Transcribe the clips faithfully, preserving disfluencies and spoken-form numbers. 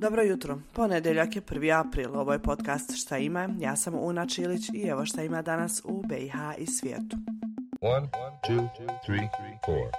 Dobro jutro, ponedjeljak je prvi april, ovo je podcast Šta ima, ja sam Una Čilić i evo šta ima danas u B i H i svijetu. One, two, three, four.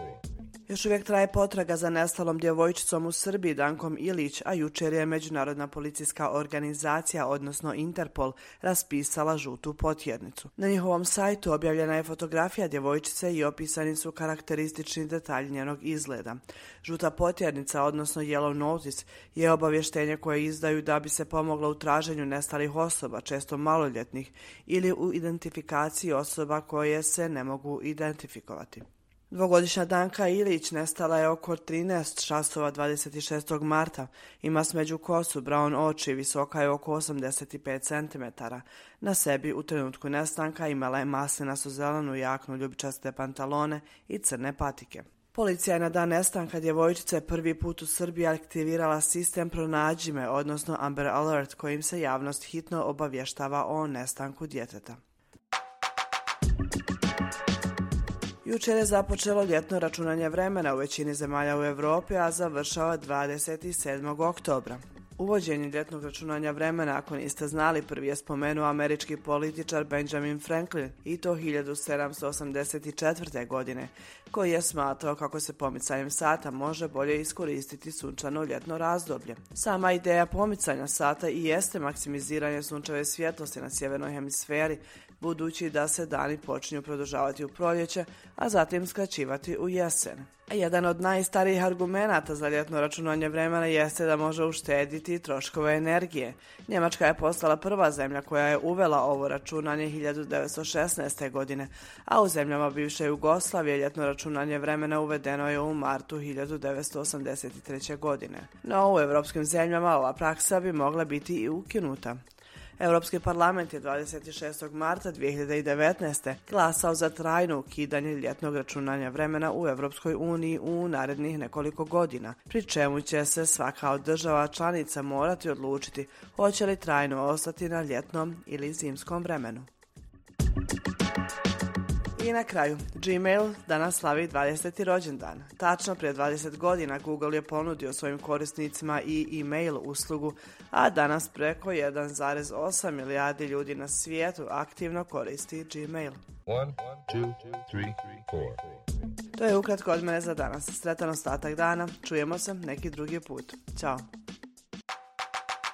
Još uvijek traje potraga za nestalom djevojčicom u Srbiji Dankom Ilić, a jučer je Međunarodna policijska organizacija, odnosno Interpol, raspisala žutu potjernicu. Na njihovom sajtu objavljena je fotografija djevojčice i opisani su karakteristični detalji njenog izgleda. Žuta potjernica, odnosno Yellow Notice, je obavještenje koje izdaju da bi se pomoglo u traženju nestalih osoba, često maloljetnih, ili u identifikaciji osoba koje se ne mogu identifikovati. Dvogodišnja Danka Ilić nestala je oko trinaest časova dvadeset šestog marta. Ima smeđu kosu, brown oči, visoka je oko osamdeset pet centimetara. Na sebi u trenutku nestanka imala je maslinasto zelenu jaknu, ljubičaste pantalone i crne patike. Policija je na dan nestanka djevojčice prvi put u Srbiji aktivirala sistem Pronađi me, odnosno Amber Alert, kojim se javnost hitno obavještava o nestanku djeteta. Jučer je započelo ljetno računanje vremena u većini zemalja u Europi, a završava dvadeset sedmog oktobra. Uvođenje ljetnog računanja vremena, ako niste znali, prvi je spomenuo američki političar Benjamin Franklin, i to hiljadu sedamsto osamdeset četvrte. godine, koji je smatrao kako se pomicanjem sata može bolje iskoristiti sunčano ljetno razdoblje. Sama ideja pomicanja sata i jeste maksimiziranje sunčeve svjetlosti na sjevernoj hemisferi, budući da se dani počinju produžavati u proljeće, a zatim skraćivati u jesen. Jedan od najstarijih argumenata za ljetno računanje vremena jeste da može uštediti troškove energije. Njemačka je postala prva zemlja koja je uvela ovo računanje hiljadu devetsto šesnaeste. godine, a u zemljama bivše Jugoslavije ljetno računanje vremena uvedeno je u martu hiljadu devetsto osamdeset treće. godine. No u europskim zemljama ova praksa bi mogla biti i ukinuta. Europski parlament je dvadeset šestog marta dvije hiljade devetnaeste. glasao za trajno ukidanje ljetnog računanja vremena u Europskoj uniji u narednih nekoliko godina, pri čemu će se svaka od država članica morati odlučiti hoće li trajno ostati na ljetnom ili zimskom vremenu. I na kraju, Gmail danas slavi dvadeseti rođendan. Tačno prije dvadeset godina Google je ponudio svojim korisnicima i e-mail uslugu, a danas preko jedan zarez osam milijardi ljudi na svijetu aktivno koristi Gmail. One, two, three, four. To je ukratko od mene za danas. Sretan ostatak dana, čujemo se neki drugi put. Ćao!